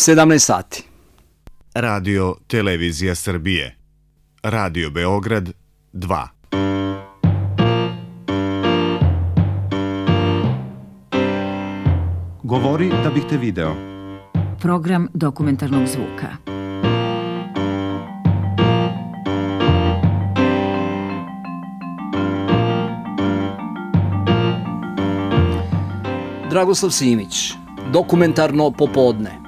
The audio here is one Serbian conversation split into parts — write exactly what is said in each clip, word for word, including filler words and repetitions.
sedamnaest sati. Radio Televizija Srbije. Radio Beograd dva. Govori da bih te video. Program dokumentarnog zvuka. Dragoslav Simić, dokumentarno popodne.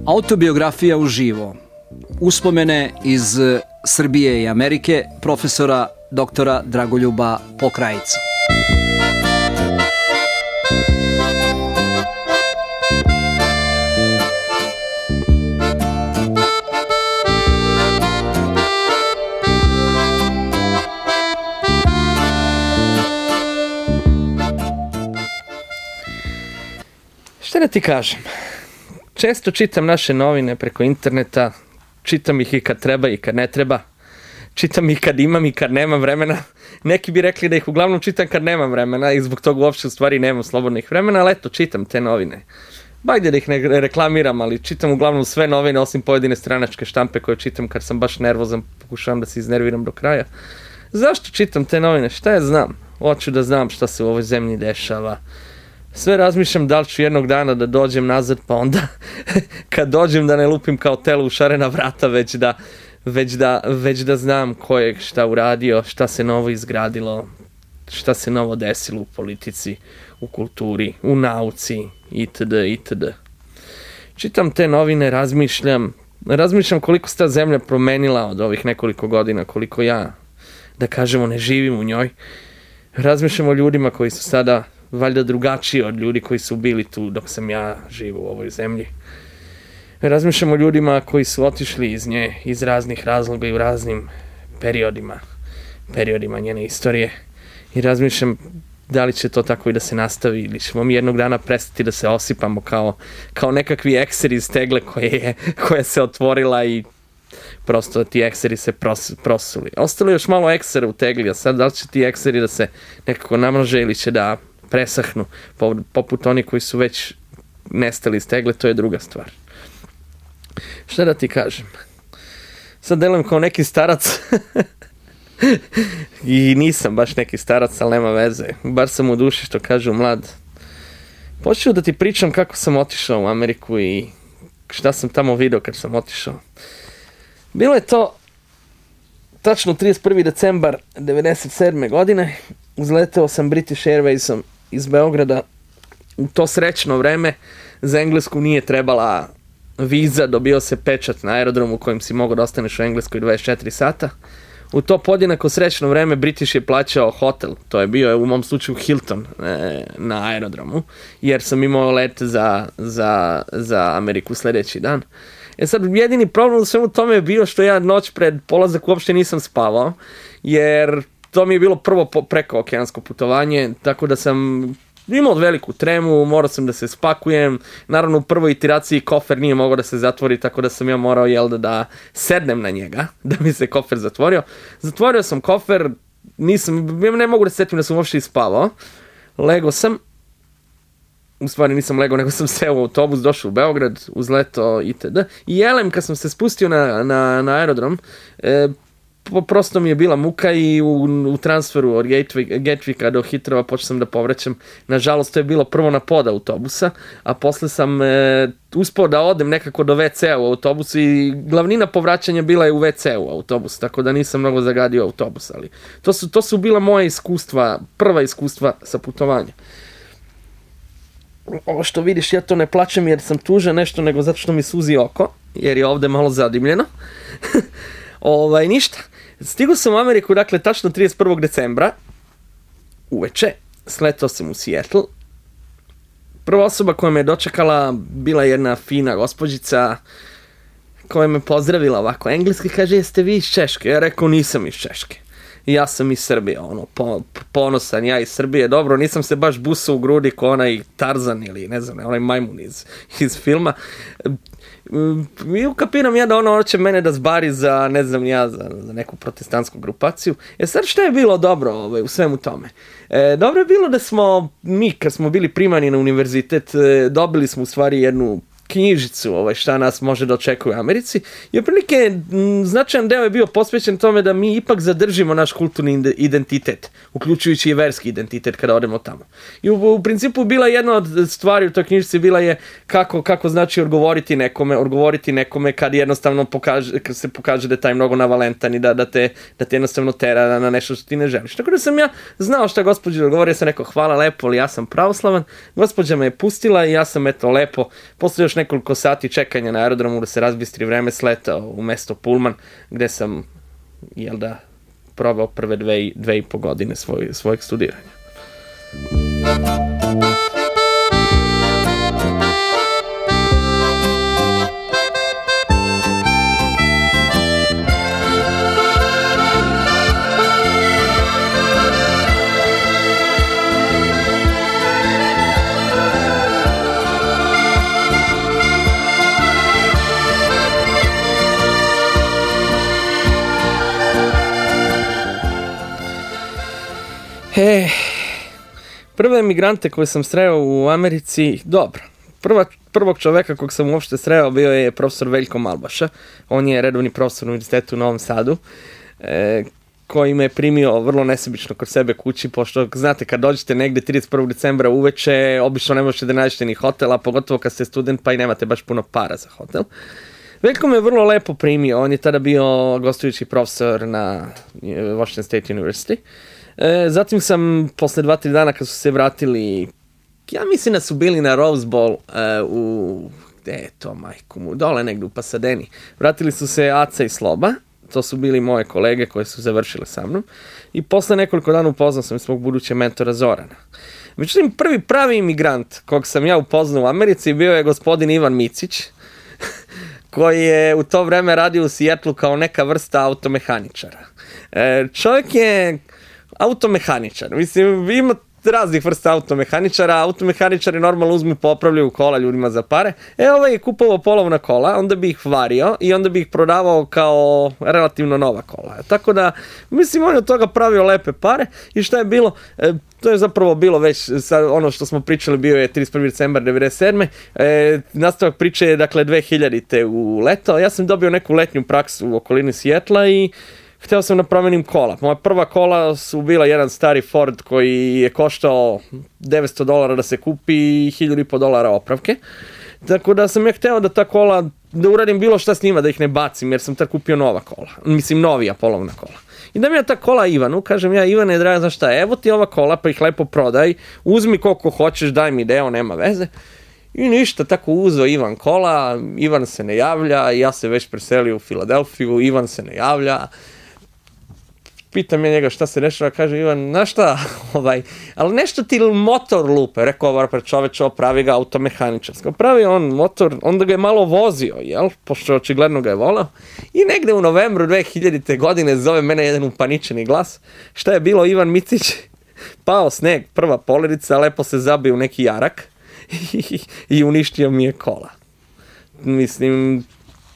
Autobiografija uživo. Uspomene iz Srbije i Amerike profesora doktora Dragoljuba Pokrajica. Šta da ti kažem? Često čitam naše novine preko interneta, čitam ih i kad treba i kad ne treba, čitam ih kad imam i kad nemam vremena. Neki bi rekli da ih uglavnom čitam kad nemam vremena i zbog toga uopšte u stvari nemam slobodnih vremena, ali eto, čitam te novine. Bajde da ih ne reklamiram, ali čitam uglavnom sve novine osim pojedine stranačke štampe koje čitam kad sam baš nervozan, pokušavam da se iznerviram do kraja. Zašto čitam te novine? Šta ja znam? Hoću da znam šta se u ovoj zemlji dešava. Sve razmišljam da li ću jednog dana da dođem nazad, pa onda kad dođem da ne lupim kao telo u šarena vrata, već da, već da, već da znam ko je šta uradio, šta se novo izgradilo, šta se novo desilo u politici, u kulturi, u nauci, itd. itd. Čitam te novine, razmišljam, razmišljam koliko se ta zemlja promenila od ovih nekoliko godina, koliko ja, da kažemo, ne živim u njoj. Razmišljam o ljudima koji su sada valjda drugačiji od ljudi koji su bili tu dok sam ja živo u ovoj zemlji. Razmišljam o ljudima koji su otišli iz nje iz raznih razloga i u raznim periodima, periodima njene istorije. I razmišljam da li će to tako i da se nastavi ili ćemo mi jednog dana prestati da se osipamo kao, kao nekakvi ekseri iz tegle koje je, koja se otvorila i prosto ti ekseri se pros, prosuli. Ostalo je još malo eksera u tegli, a sad da li će ti ekseri da se nekako namnože ili će da presahnu, poput oni koji su već nestali iz tegle, to je druga stvar. Šta da ti kažem? Sad delujem kao neki starac i nisam baš neki starac, ali nema veze. Bar sam u duši, što kažu, mlad. Počeo da ti pričam kako sam otišao u Ameriku i šta sam tamo video kad sam otišao. Bilo je to tačno trideset prvi decembar devedeset sedme godine. Uzleteo sam British Airwaysom iz Beograda. U to srećno vreme za Englesku nije trebala viza, dobio se pečat na aerodromu u kojem si mogao da ostaneš u Engleskoj dvadeset četiri sata. U to podjednako srećno vreme British je plaćao hotel, to je bio u mom slučaju Hilton e, na aerodromu, jer sam imao let za, za, za Ameriku sljedeći dan. E sad, jedini problem u svemu tome je bio što ja noć pred polazak uopšte nisam spavao, jer to mi je bilo prvo preko okeansko putovanje, tako da sam imao veliku tremu, morao sam da se spakujem. Naravno, u prvoj itiraciji kofer nije mogao da se zatvori, tako da sam ja morao, jel da, da sednem na njega, da mi se kofer zatvorio. Zatvorio sam kofer, nisam, ne mogu da se setim da sam uopšte ispavao. Lego sam, u stvari nisam legao, nego sam seo u autobus, došao u Beograd, uzletao itd. I jelem, kad sam se spustio na, na, na aerodrom, e, prosto mi je bila muka i u, u transferu od Gatvika do Hitrova počeo sam da povraćam. Nažalost, to je bilo prvo na pod autobusa, a posle sam e, uspao da odem nekako do ve ce u autobusu i glavnina povraćanja bila je u ve ce u autobusu, tako da nisam mnogo zagadio autobus, ali to su, to su bila moja iskustva, prva iskustva sa putovanja. Ovo što vidiš, ja to ne plačem jer sam tužan nešto, nego zato što mi suzi oko, jer je ovde malo zadimljeno. Ovaj, ništa. Stigao sam u Ameriku, dakle, tačno trideset prvog decembra, uveče, sletao sam u Seattle Prva osoba koja me je dočekala bila jedna fina gospođica koja me pozdravila ovako engleski, kaže, jeste vi iz Češke? Ja rekao, nisam iz Češke. I ja sam iz Srbije, ono, po, ponosan, ja iz Srbije, dobro, nisam se baš busao u grudi ko onaj Tarzan ili ne znam, onaj majmun iz, iz filma. I ukapiram ja da ono hoće mene da zbari za, ne znam ja, za, za neku protestantsku grupaciju. E sad šta je bilo dobro ovaj, u svemu tome? E, dobro je bilo da smo, mi kad smo bili primani na univerzitet, e, dobili smo u stvari jednu knjižicu ovaj, šta nas može da očekuje u Americi i otprilike značajan deo je bio posvećen tome da mi ipak zadržimo naš kulturni identitet, uključujući i verski identitet kada odemo tamo. I u, u principu bila jedna od stvari u toj knjižici bila je kako, kako znači odgovoriti nekome, odgovoriti nekome kad jednostavno pokaže, kad se pokaže da je taj mnogo navalentan i da, da, te, da te jednostavno tera na nešto što ti ne želiš. Tako da sam ja znao šta gospođa odgovori, ja sam rekao hvala lepo, ali ja sam pravoslavan, gospođa me je pustila i ja sam eto lepo, posle još nekoliko sati čekanja na aerodromu da se razbistri vreme sletao u mesto Pullman, gde sam, jel da, probao prve dve, dve i po godine svoj, svojeg studiranja. E, prve emigrante koje sam sreo u Americi, dobro, prva, prvog čoveka kog sam uopšte sreo bio je profesor Veljko Malbaša, on je redovni profesor na univerzitetu u Novom Sadu, e, koji me je primio vrlo nesebično kod sebe kući, pošto znate kad dođete negde trideset prvog decembra uveče, obično ne možete da nađete ni hotela, pogotovo kad ste student pa i nemate baš puno para za hotel. Veljko me je vrlo lepo primio, on je tada bio gostujući profesor na Washington State University. E, zatim sam, posle dva, tri dana kad su se vratili, ja mislim da su bili na Rose Bowl e, u, gde je to majku mu, dole negdje u Pasadeni. Vratili su se Aca i Sloba, to su bili moje kolege koje su završile sa mnom. I posle nekoliko dana upoznao sam svog budućeg mentora Zorana. Međutim, prvi pravi imigrant kog sam ja upoznao u Americi bio je gospodin Ivan Micić, koji je u to vreme radio u Seattlu kao neka vrsta automehaničara. E, čovjek je automehaničar. Mislim, ima raznih vrsta automehaničara. Automehaničari normalno uzmu, popravljaju kola ljudima za pare. E, ovaj je kupovao polovna kola, onda bi ih vario i onda bi ih prodavao kao relativno nova kola. Tako da, mislim, on je od toga pravio lepe pare i šta je bilo? E, to je zapravo bilo već, sad, ono što smo pričali, bio je trideset prvi decembar devedeset sedme. E, nastavak priče je, dakle, dve hiljadite u leto. Ja sam dobio neku letnju praksu u okolini Sijetla i hteo sam da promenim kola. Moja prva kola su bila jedan stari Ford koji je koštao devetsto dolara da se kupi i hiljadu i po dolara opravke. Tako da sam ja hteo da ta kola, da uradim bilo šta s njima, da ih ne bacim, jer sam tad kupio nova kola. Mislim, novija polovna kola. I da mi ja ta kola Ivanu, kažem ja, Ivane, draga, znaš šta, evo ti ova kola, pa ih lepo prodaj, uzmi koliko hoćeš, daj mi deo, nema veze. I ništa, tako uzeo Ivan kola, Ivan se ne javlja, ja se već preselio u Filadelfiju, Ivan se ne javlja. Pitam ja njega šta se dešava, kaže Ivan, znaš šta, ovaj, ali nešto ti motor lupe, rekao ovaj pred čoveče, pravi ga automehaničarsko. Pravi on motor, onda ga je malo vozio, jel, pošto očigledno ga je volao. I negde u novembru dve hiljadite godine zove mene jedan upaničeni glas. Šta je bilo, Ivan Micić? Pao sneg, prva poledica, lepo se zabio u neki jarak i, i uništio mi je kola. Mislim,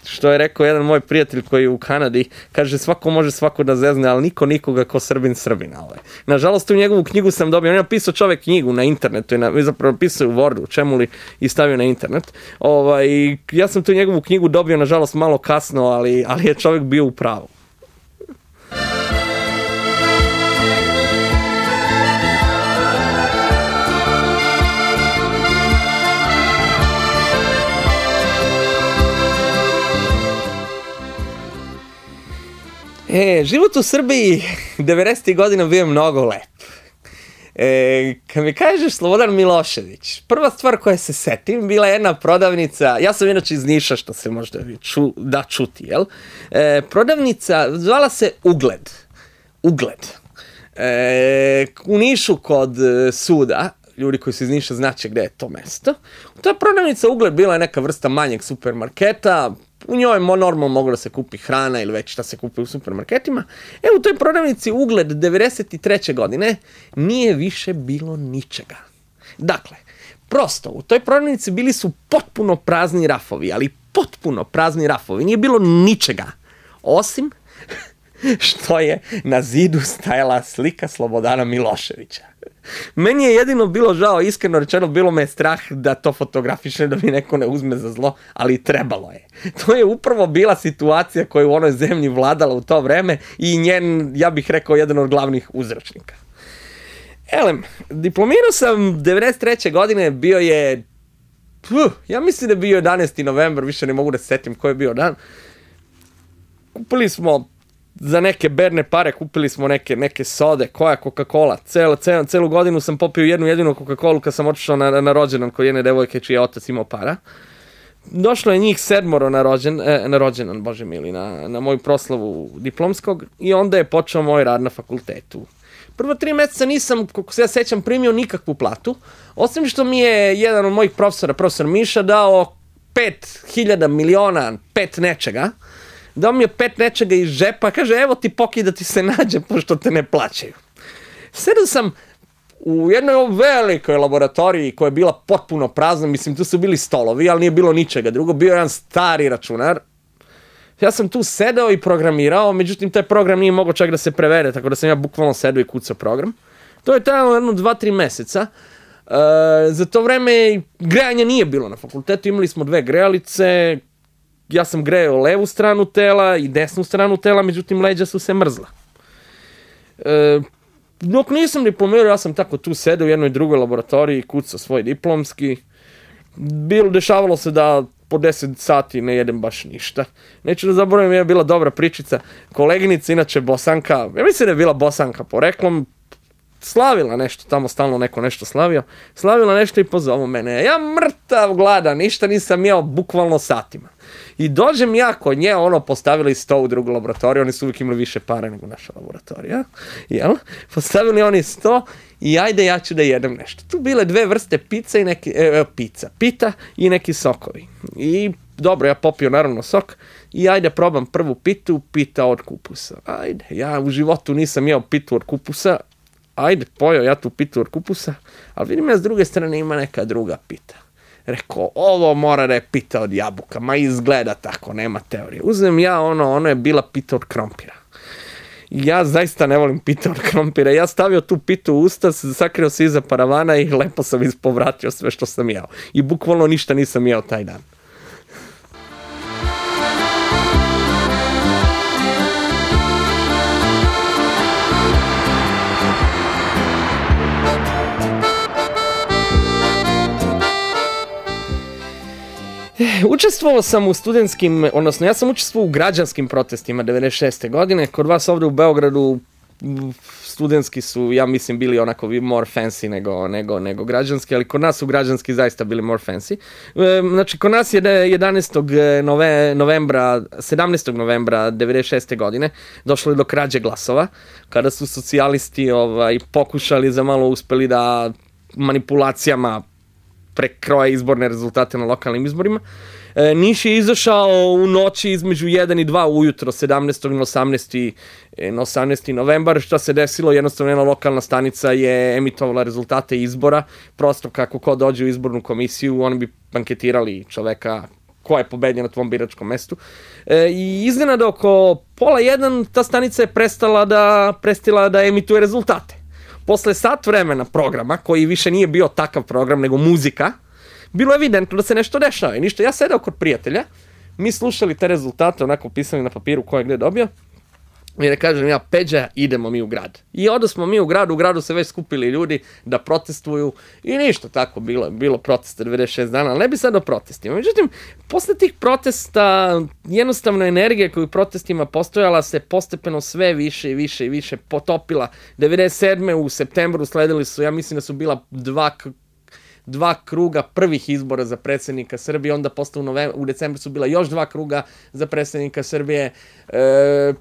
što je rekao jedan moj prijatelj koji je u Kanadi, kaže svako može svako da zezne, ali niko nikoga ko Srbin Srbina. Ovaj. Nažalost, u njegovu knjigu sam dobio, on je napisao čovek knjigu na internetu, na, zapravo pisao u Wordu, čemu li, i stavio na internet. Ovaj, ja sam tu njegovu knjigu dobio, nažalost, malo kasno, ali, ali je čovek bio u pravu. E, život u Srbiji devedesetih godina bio mnogo lep. E, kad mi kažeš Slobodan Milošević, prva stvar koja se setim bila jedna prodavnica, ja sam inače iz Niša, što se možda ču, da čuti, jel? E, prodavnica, zvala se Ugled. Ugled. E, u Nišu kod suda, ljudi koji su iz Niša znaće gde je to mesto. Ta prodavnica Ugled bila je neka vrsta manjeg supermarketa, u njoj normalno moglo da se kupi hrana ili već šta se kupi u supermarketima. E, u toj prodavnici Ugled devedeset treće godine nije više bilo ničega. Dakle, prosto, u toj prodavnici bili su potpuno prazni rafovi, ali potpuno prazni rafovi. Nije bilo ničega, osim što je na zidu stajala slika Slobodana Miloševića. Meni je jedino bilo žao, iskreno rečeno, bilo me strah da to fotografiše, da mi neko ne uzme za zlo, ali trebalo je. To je upravo bila situacija koja je u onoj zemlji vladala u to vreme i njen, ja bih rekao, jedan od glavnih uzročnika. Elem, diplomirao sam devedeset treće godine, bio je, puh, ja mislim da je bio jedanaesti novembar, više ne mogu da se setim koji je bio dan. Kupili smo za neke berne pare, kupili smo neke, neke sode, koja Coca-Cola. Celu, celu, celu godinu sam popio jednu jedinu Coca-Colu kad sam otišao na, na rođendan kod jedne devojke čiji je otac imao para. Došlo je njih sedmoro na, rođen, e, na rođendan, bože mili, na, na moju proslavu diplomskog i onda je počeo moj rad na fakultetu. Prvo tri meseca nisam, kako se ja sećam, primio nikakvu platu, osim što mi je jedan od mojih profesora, profesor Miša, dao pet hiljada miliona, pet nečega, dao mi je pet nečega iz džepa, kaže, evo ti poki da ti se nađe, pošto te ne plaćaju. Sedao sam u jednoj velikoj laboratoriji koja je bila potpuno prazna, mislim, tu su bili stolovi, ali nije bilo ničega drugo, bio je jedan stari računar. Ja sam tu sedao i programirao, međutim, taj program nije mogao čak da se prevede, tako da sam ja bukvalno sedao i kucao program. To je trajalo jedno dva, tri meseca. E, za to vreme grejanja nije bilo na fakultetu, imali smo dve grejalice, ja sam grejao levu stranu tela i desnu stranu tela, međutim, leđa su se mrzla. E, dok nisam diplomirao, ja sam tako tu sedao u jednoj drugoj laboratoriji, kucao svoj diplomski. Bilo, dešavalo se da po deset sati ne jedem baš ništa. Neću da zaboravim, je bila dobra pričica. Koleginica, inače Bosanka, ja mislim da je bila Bosanka poreklom, slavila nešto, tamo stalno neko nešto slavio, slavila nešto i pozovu mene. Ja mrtav gladan, ništa nisam jeo bukvalno satima. I dođem ja kod nje, ono, postavili sto u drugu laboratoriju, oni su uvijek imali više pare nego naša laboratorija, jel? Postavili oni sto i ajde ja ću da jedem nešto. Tu bile dve vrste pizza i neki, e, pizza, pita i neki sokovi. I dobro, ja popio naravno sok i ajde probam prvu pitu, pita od kupusa. Ajde, ja u životu nisam jeo pitu od kupusa, ajde, pojeo ja tu pitu od kupusa, ali vidim ja s druge strane ima neka druga pita. Rekao, ovo mora da je pita od jabuka, ma izgleda tako, nema teorije. Uzmem ja ono, ono je bila pita od krompira. Ja zaista ne volim pita od krompira. Ja stavio tu pitu u usta, sakrio se iza paravana i lepo sam ispovratio sve što sam jeo. I bukvalno ništa nisam jeo taj dan. Učestvovao sam u studentskim, odnosno ja sam učestvovao u građanskim protestima devedeset šeste godine. Kod vas ovdje u Beogradu studentski su, ja mislim, bili onako more fancy nego, nego, nego građanski, ali kod nas su građanski zaista bili more fancy. Znači, kod nas je jedanaestog novembra, sedamnaestog novembra devedeset šeste godine došlo je do krađe glasova, kada su socijalisti ovaj, pokušali za malo uspeli da manipulacijama prekroje izborne rezultate na lokalnim izborima. E, Niš je izašao u noći između jedan i dva ujutro, sedamnaestog na osamnaesti na osamnaesti novembar. Šta se desilo? Jednostavno jedna lokalna stanica je emitovala rezultate izbora. Prosto kako ko dođe u izbornu komisiju, oni bi anketirali čoveka ko je pobedio na tvom biračkom mestu. E, I iznenada oko pola jedan ta stanica je prestala da, prestala da emituje rezultate. Posle sat vremena programa, koji više nije bio takav program, nego muzika, bilo je evidentno da se nešto dešava. I ništa, ja sedao kod prijatelja, mi slušali te rezultate, onako pisali na papiru ko je gde dobio, i da kažem ja, Peđa, idemo mi u grad. I onda smo mi u gradu, u gradu se već skupili ljudi da protestuju i ništa tako bilo, bilo protesta devedeset šest dana, ali ne bi sad o protestima. Međutim, posle tih protesta, jednostavno energija koju protestima postojala se postepeno sve više i više i više potopila. devedeset sedme u septembru sledili su, ja mislim da su bila dva dva kruga prvih izbora za predsjednika Srbije, onda posle u, novembru, u decembru su bila još dva kruga za predsjednika Srbije. E,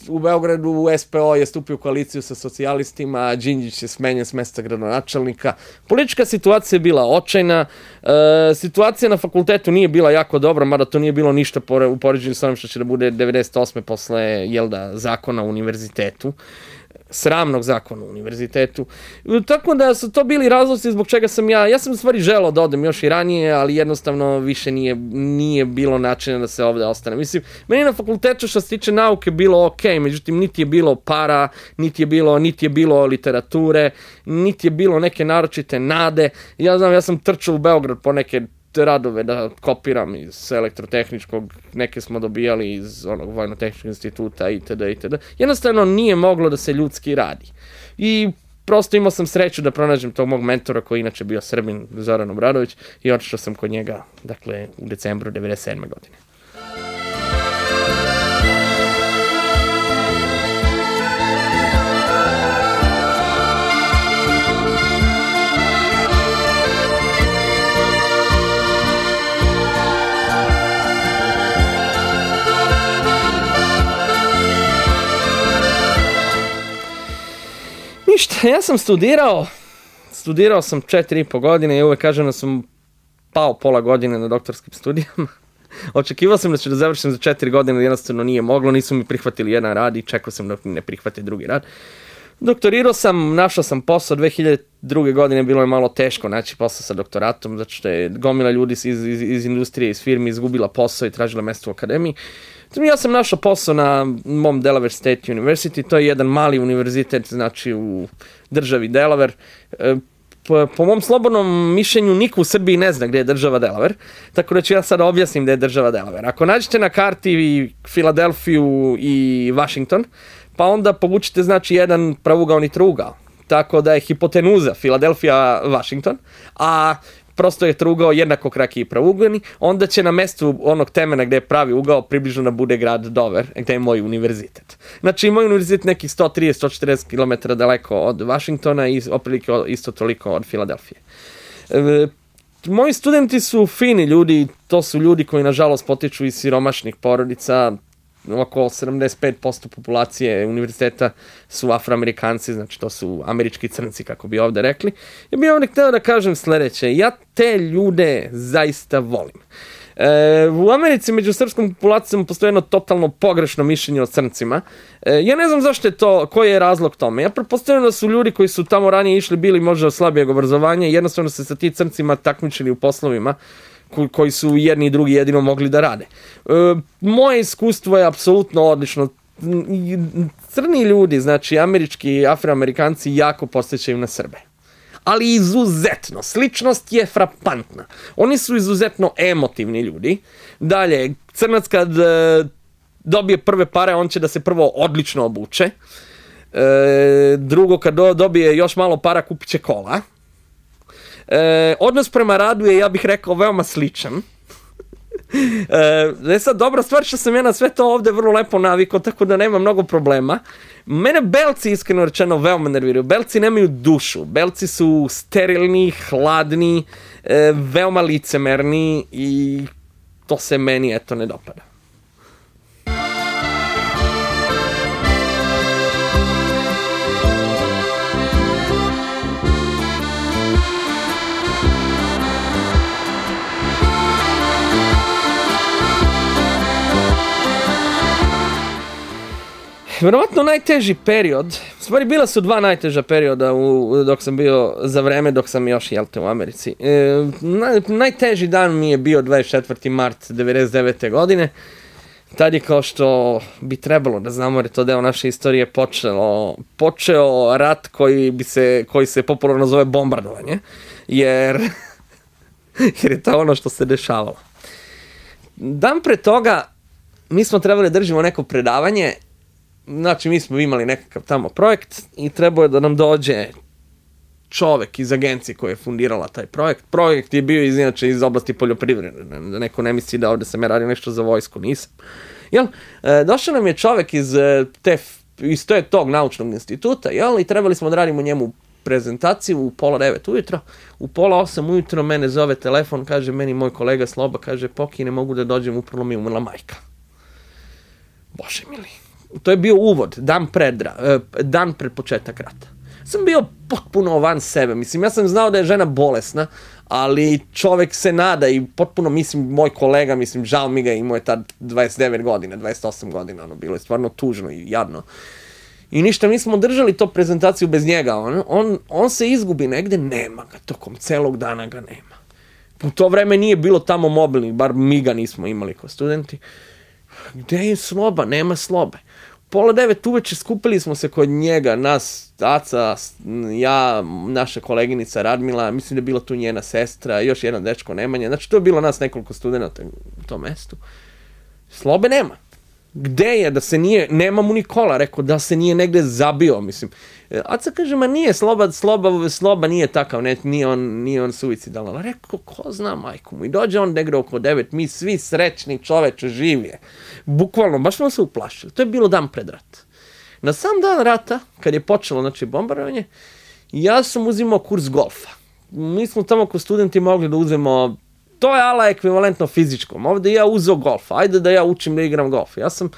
u Beogradu S P O je stupio u koaliciju sa socijalistima, Đinđić je smenjen s mesta gradonačelnika. Politička situacija je bila očajna, e, situacija na fakultetu nije bila jako dobra, mada to nije bilo ništa u poređenju sa onim što će da bude devedeset osme posle, jel da, zakona o univerzitetu. Sramnog zakona u univerzitetu. Tako da su to bili razlozi zbog čega sam ja, ja sam u stvari želeo da odem još i ranije, ali jednostavno više nije, nije bilo načina da se ovde ostane. Mislim, meni na fakultetu što se tiče nauke bilo ok, međutim niti je bilo para, niti je bilo, niti je bilo literature, niti je bilo neke naročite nade. Ja znam, ja sam trčao u Beograd po neke radove da kopiram iz elektrotehničkog, neke smo dobijali iz onog vojno-tehničkog instituta itd. itd. Jednostavno nije moglo da se ljudski radi. I prosto imao sam sreću da pronađem tog mog mentora koji inače bio Srbin, Zoran Obradović, i otišao sam kod njega, dakle, u decembru devedeset sedme godine. Ništa, ja sam studirao, studirao sam četiri i po godine i uvek kažem da sam pao pola godine na doktorskim studijama. Očekivao sam da ću da završim za četiri godine, jednostavno nije moglo, nisu mi prihvatili jedan rad i čekao sam da ne prihvate drugi rad. Doktorirao sam, našao sam posao, dve hiljade druge. godine bilo je malo teško naći posao sa doktoratom, zato što je gomila ljudi iz, iz, iz industrije, iz firmi izgubila posao i tražila mesto u akademiji. Ja sam našao posao na mom Delaware State University, to je jedan mali univerzitet, znači u državi Delaware. Po, po mom slobodnom mišljenju niko u Srbiji ne zna gde je država Delaware, tako da ću ja sad objasnim gde je država Delaware. Ako nađete na karti Filadelfiju i Washington, pa onda povučite znači jedan pravugaoni trougao, tako da je hipotenuza Filadelfija-Washington, a prosto je trougao jednako kraki i pravugleni, onda će na mestu onog temena gde je pravi ugao približno da bude grad Dover, gde je moj univerzitet. Znači, moj univerzitet nekih sto trideset do sto četrdeset kilometara daleko od Washingtona i oprilike isto toliko od Filadelfije. E, moji studenti su fini ljudi, to su ljudi koji nažalost potiču iz siromašnih porodica, oko sedamdeset pet posto populacije univerziteta su Afroamerikanci, znači to su američki crnci, kako bi ovde rekli. Ja bih ovdje hteo da kažem sledeće, ja te ljude zaista volim. E, u Americi među srpskom populacijom postoji jedno totalno pogrešno mišljenje o crncima. E, ja ne znam zašto je to, koji je razlog tome. Ja pretpostavljam da su ljudi koji su tamo ranije išli bili možda slabijeg obrazovanja i jednostavno se sa ti crncima takmičili u poslovima koji su jedni i drugi jedino mogli da rade. E, moje iskustvo je apsolutno odlično. Crni ljudi, znači američki, afroamerikanci jako podsjećaju na Srbe. Ali izuzetno. Sličnost je frapantna. Oni su izuzetno emotivni ljudi. Dalje, crnac kad e, dobije prve pare, on će da se prvo odlično obuče. E, drugo, kad do, dobije još malo para, kupit će kola. E, odnos prema radu je, ja bih rekao, veoma sličan. E, sad, dobra stvar što sam ja na sve to ovde vrlo lepo navikao, tako da nema mnogo problema. Mene belci, iskreno rečeno, veoma nerviraju. Belci nemaju dušu. Belci su sterilni, hladni, e, veoma licemerni i to se meni, eto, ne dopada. Vjerovatno najteži period, u stvari bila su dva najteža perioda u, dok sam bio za vreme, dok sam još jelte u Americi. E, naj, najteži dan mi je bio dvadeset četvrti mart devedeset devete. godine. Tad je, kao što bi trebalo da znamo, jer je to deo naše istorije, počelo, počeo rat koji, bi se, koji se popularno zove bombardovanje, jer, jer je to ono što se dešavalo. Dan pre toga mi smo trebali da držimo neko predavanje. Znači, mi smo imali nekakav tamo projekt i trebao je da nam dođe čovek iz agencije koja je fundirala taj projekt. Projekt je bio iz, inače iz oblasti poljoprivrede, da neko ne misli da ovde sam ja radio nešto za vojsku, nisam. Jel, e, došao nam je čovek iz, te, iz te, tog naučnog instituta, jel, i trebali smo da radimo njemu prezentaciju u pola devet ujutro. U pola osam ujutro mene zove telefon, kaže meni moj kolega Sloba, kaže, Poki, ne mogu da dođem, upravo mi umrla majka. Bože mili. to je bio uvod, dan pred, dan pred početak rata. Sam bio potpuno van sebe, mislim, ja sam znao da je žena bolesna, ali čovek se nada i potpuno, mislim, moj kolega, mislim, žao mi ga, imao je tad dvadeset devet godina, dvadeset osam godina, ono, bilo je stvarno tužno i jadno. I ništa, mi smo držali to prezentaciju bez njega, on, on, on se izgubi negde, nema ga, tokom celog dana ga nema. U to vreme nije bilo tamo mobilnih, bar mi ga nismo imali kao studenti. Gde je Sloba? Nema Slobe. Pola devet uveče skupili smo se kod njega, nas, Aca, ja, naša koleginica Radmila, mislim da je bila tu njena sestra, još jedan dečko Nemanja, znači to je bilo nas nekoliko studenta u tom mestu. Slobe nema. Gde je, da se nije, nema mu Nikola, rekao da se nije negde zabio, mislim. Aca kaže, ma nije, Sloba, Sloba, Sloba nije takav, ne, nije on, nije on suicidalan. Rekao, ko zna majku mu. I dođe on negde oko devet, mi svi srećni, čoveče, živije. Bukvalno, baš smo se uplašili. To je bilo dan pred rat. Na sam dan rata, kad je počelo, znači, bombardovanje, ja sam uzimao kurs golfa. Mi smo tamo kao studenti mogli da uzmemo, to je ala ekvivalentno fizičkom. Ovde ja uzeo golfa, ajde da ja učim da igram golf. Ja sam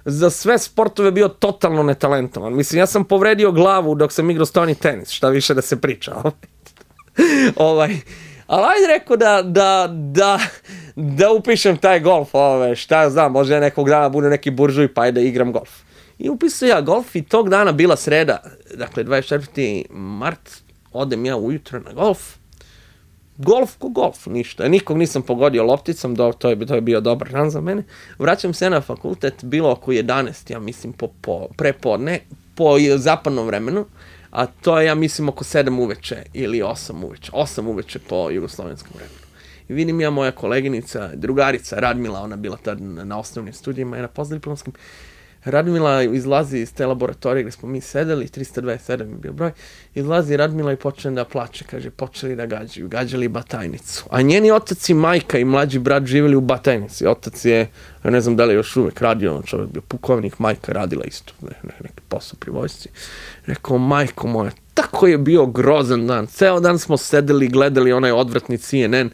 za sve sportove bio totalno netalentovan. Mislim, ja sam povredio glavu dok sam igrao stoni tenis, šta više da se priča. ovaj, ali ajde rekao da, da, da, da upišem taj golf, ove, šta ja znam, možda ja nekog dana bude neki buržuj pa ajde da igram golf. I upisao ja golf i tog dana bila sreda, dakle dvadeset četvrti mart, odem ja ujutro na golf. Golf ko golf, ništa. Nikog nisam pogodio lopticom, do, to, je, to je bio dobar dan za mene. Vraćam se na fakultet, bilo oko jedanaest, ja mislim, po, po, prepodne, po zapadnom vremenu, a to je, ja mislim, oko sedam uveče ili osam uveče. osam uveče po jugoslovenskom vremenu. I vidim ja, moja koleginica, drugarica, Radmila, ona bila tad na, na osnovnim studijima i na postdiplomskim. Radmila izlazi iz te laboratorije gdje smo mi sedeli, trista dvadeset sedam je bio broj, izlazi Radmila i počne da plače, kaže, počeli da gađaju, gađali Batajnicu. A njeni otac i majka i mlađi brat živjeli u Batajnici. Otac je, ja ne znam da li je još uvek radio, čovjek bio pukovnik, majka radila isto, ne, ne, neki posao pri vojsci. Rekao, majko moja, tako je bio grozan dan, ceo dan smo sedeli, gledali onaj odvratni C N N,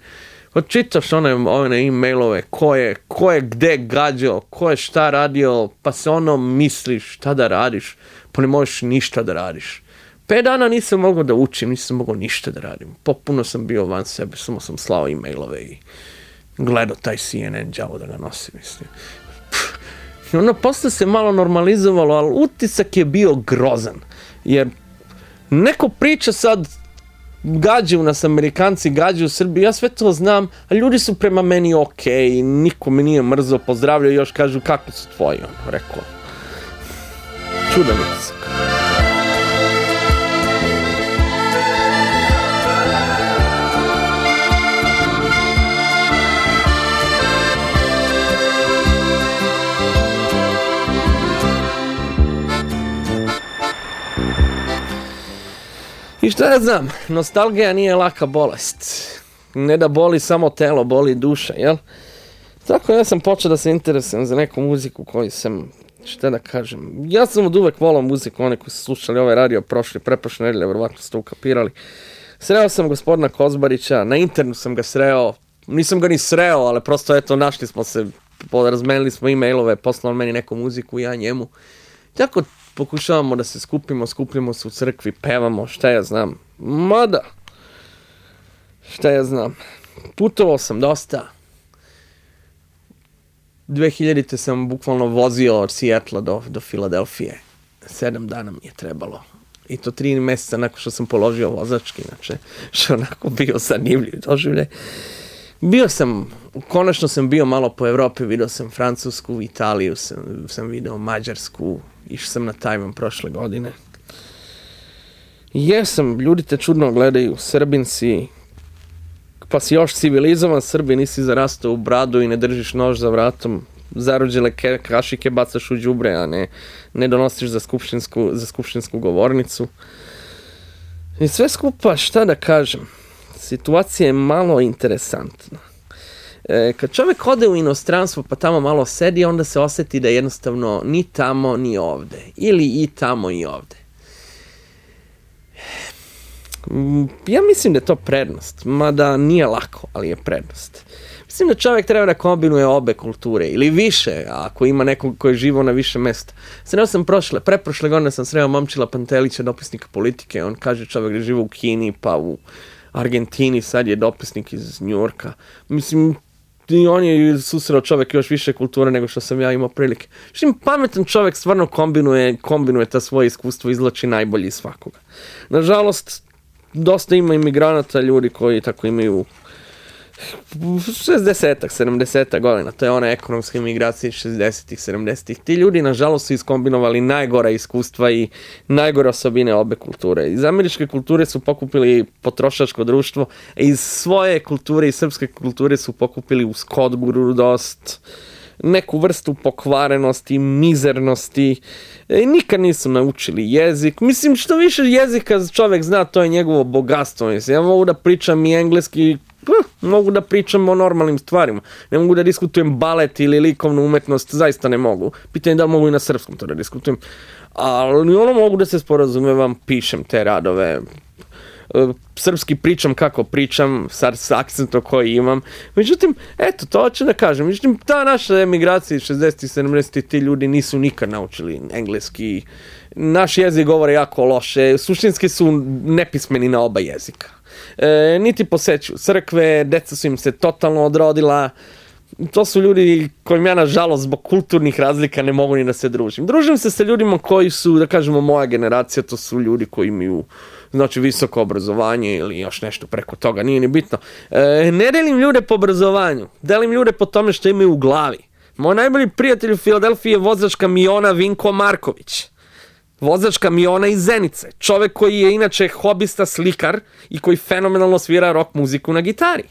čitaš one, one e-mailove, ko je, ko je gde gađao, ko je šta radio, pa se ono misliš šta da radiš, pa ne možeš ništa da radiš. Pet dana nisam mogao da učim, nisam mogao ništa da radim. Popuno sam bio van sebe, samo sam slao e-mailove i gledao taj C N N, đavo da ga nosim, mislim. I ono posle se malo normalizovalo, ali utisak je bio grozan, jer neko priča sad, gađaju nas Amerikanci, gađaju Srbi, ja sve to znam, a ljudi su prema meni okej, okay, niko me nije mrzo, pozdravljaju, još kažu kakvi su tvoji, ono, rekao. Čudan utisak. I šta ja znam, nostalgija nije laka bolest. Ne da boli samo telo, boli duša, jel? Tako ja sam počeo da se interesujem za neku muziku koju sam, šta da kažem, ja sam od uvek volao muziku, one koji su slušali ovaj radio prošli, preprošle nedelje, verovatno ste ukapirali. Sreo sam gospodina Kozbarića, na internetu sam ga sreo, nisam ga ni sreo, ali prosto eto, našli smo se, razmenili smo e-mailove, poslao meni neku muziku, ja njemu. Tako pokušavamo da se skupimo, skupljamo se u crkvi, pevamo, šta ja znam. Mada, šta ja znam. Putovao sam dosta. dve hiljadite sam bukvalno vozio od Seattla do, do Filadelfije. Sedam dana mi je trebalo. I to tri mjeseca nakon što sam položio vozački, znači, što onako bio zanimljiv doživljaj. Bio sam, konačno sam bio malo po Evropi, vidio sam Francusku, Italiju, sam, sam vidio Mađarsku, išao sam na Tajvan prošle godine. Jesam, ljudi te čudno gledaju, Srbin si, pa si još civilizovan Srbin, nisi zarastao u bradu i ne držiš nož za vratom, zarođele ke, kašike bacaš u đubre, a ne, ne donosiš za skupštinsku, za skupštinsku govornicu. I sve skupa, šta da kažem, situacija je malo interesantna. E, kad čovjek ode u inostranstvo pa tamo malo sedi, onda se osjeti da jednostavno ni tamo ni ovde. Ili i tamo i ovde. Ja mislim da je to prednost, mada nije lako, ali je prednost. Mislim da čovjek treba da kombinuje obe kulture ili više, ako ima nekog koji je živo na više mesta. Sreo sam prošle, preprošle godine sam sreo Momčila Pantelića, dopisnika politike. On kaže čovjek da živo u Kini, pa u Argentini, sad je dopisnik iz Njujorka. Mislim, i on je susreo čovjek još više kulture nego što sam ja imao prilike. Mislim, pametan čovjek stvarno kombinuje, kombinuje ta svoje iskustvo, izvlači najbolji iz svakoga. Nažalost, dosta ima imigranata, ljudi koji tako imaju šezdesetak, sedamdesetak godina, to je ona ekonomska imigracija šezdesetih, sedamdesetih. Ti ljudi, nažalost, su iskombinovali najgora iskustva i najgore osobine obe kulture. Iz američke kulture su pokupili potrošačko društvo, iz svoje kulture i srpske kulture su pokupili uskogrudost, neku vrstu pokvarenosti, mizernosti. E, nikad nisu naučili jezik. Mislim, što više jezika čovjek zna, to je njegovo bogatstvo. Mislim, ja mogu da pričam i engleski, mogu da pričam o normalnim stvarima. Ne mogu da diskutujem balet ili likovnu umetnost, zaista ne mogu. Pitanje da mogu i na srpskom to da diskutujem. Ali ono mogu da se sporazumevam, pišem te radove. Srpski pričam kako pričam, s akcentom koji imam. Međutim, eto, to hoću da kažem. Međutim, ta naša emigracija iz šezdesetih, sedamdesetih, ti ljudi nisu nikad naučili engleski. Naš jezik govore jako loše. Suštinski su nepismeni na oba jezika. E, niti posećuju crkve, deca su im se totalno odrodila. To su ljudi kojim ja, nažalost, zbog kulturnih razlika ne mogu ni da se družim. Družim se sa ljudima koji su, da kažemo, moja generacija, to su ljudi koji imaju, znači, visoko obrazovanje ili još nešto preko toga, nije ni bitno. E, ne delim ljude po obrazovanju, delim ljude po tome što imaju u glavi. Moj najbolji prijatelj u Filadelfiji je vozač kamiona Vinko Marković. Vozač kamiona iz Zenice. Čovek koji je inače hobista slikar i koji fenomenalno svira rock muziku na gitari.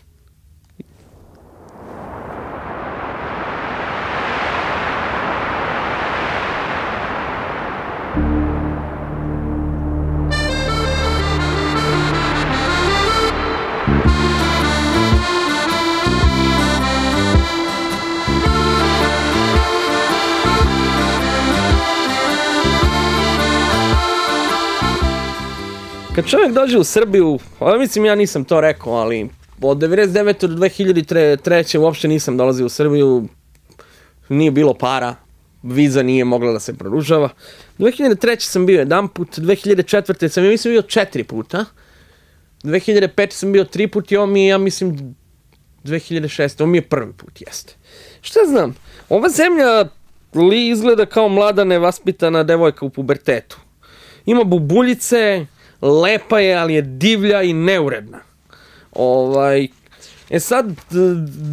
Kad čovjek dođe u Srbiju, ja mislim ja nisam to rekao, ali od devedeset devete do dve hiljade treće uopšte nisam dolazio u Srbiju, nije bilo para, viza nije mogla da se produžava. dve hiljade treće sam bio jedan put, dve hiljade četvrte sam, ja mislim, bio četiri puta, dve hiljade pete sam bio tri put i ovo mi je, ja mislim, dve hiljade šeste, ovo mi je prvi put, jeste. Šta znam, ova zemlja li izgleda kao mlada nevaspitana devojka u pubertetu. Ima bubuljice, lepa je, ali je divlja i neuredna. Ovaj, e sad,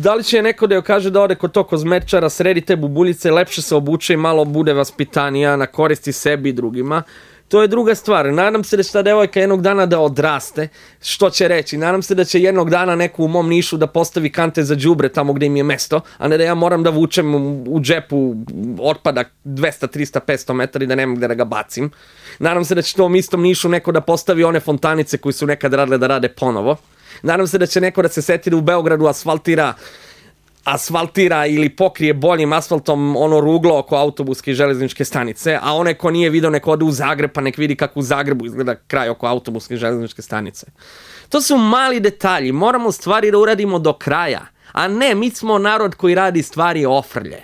da li će neko da joj kaže da ode kod tog kozmetičara, sredi te bubuljice, lepše se obuče i malo bude vaspitanija, na koristi sebi i drugima, to je druga stvar. Nadam se da će ta devojka jednog dana da odraste, što će reći. Nadam se da će jednog dana neko u mom Nišu da postavi kante za đubre tamo gde im je mesto, a ne da ja moram da vučem u džepu otpadak dvesta, trista, petsto metara i da nemam gde da ga bacim. Nadam se da će to u istom Nišu neko da postavi one fontanice koji su nekad radile da rade ponovo. Nadam se da će neko da se seti da u Beogradu asfaltira asfaltira ili pokrije boljim asfaltom ono ruglo oko autobuske i železničke stanice, a onaj ko nije video nek ode u Zagreb pa nek vidi kako u Zagrebu izgleda kraj oko autobuske i železničke stanice. To su mali detalji, moramo stvari da uradimo do kraja, a ne, mi smo narod koji radi stvari ofrlje.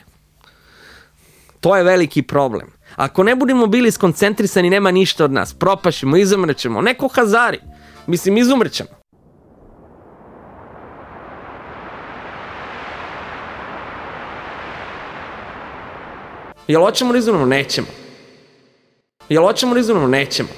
To je veliki problem. Ako ne budemo bili skoncentrisani, nema ništa od nas, propašimo, izumrećemo, neko Hazari, mislim izumrećemo. Jel hoćemo da izumremo? Nećemo. Jel hoćemo da izumremo? Nećemo.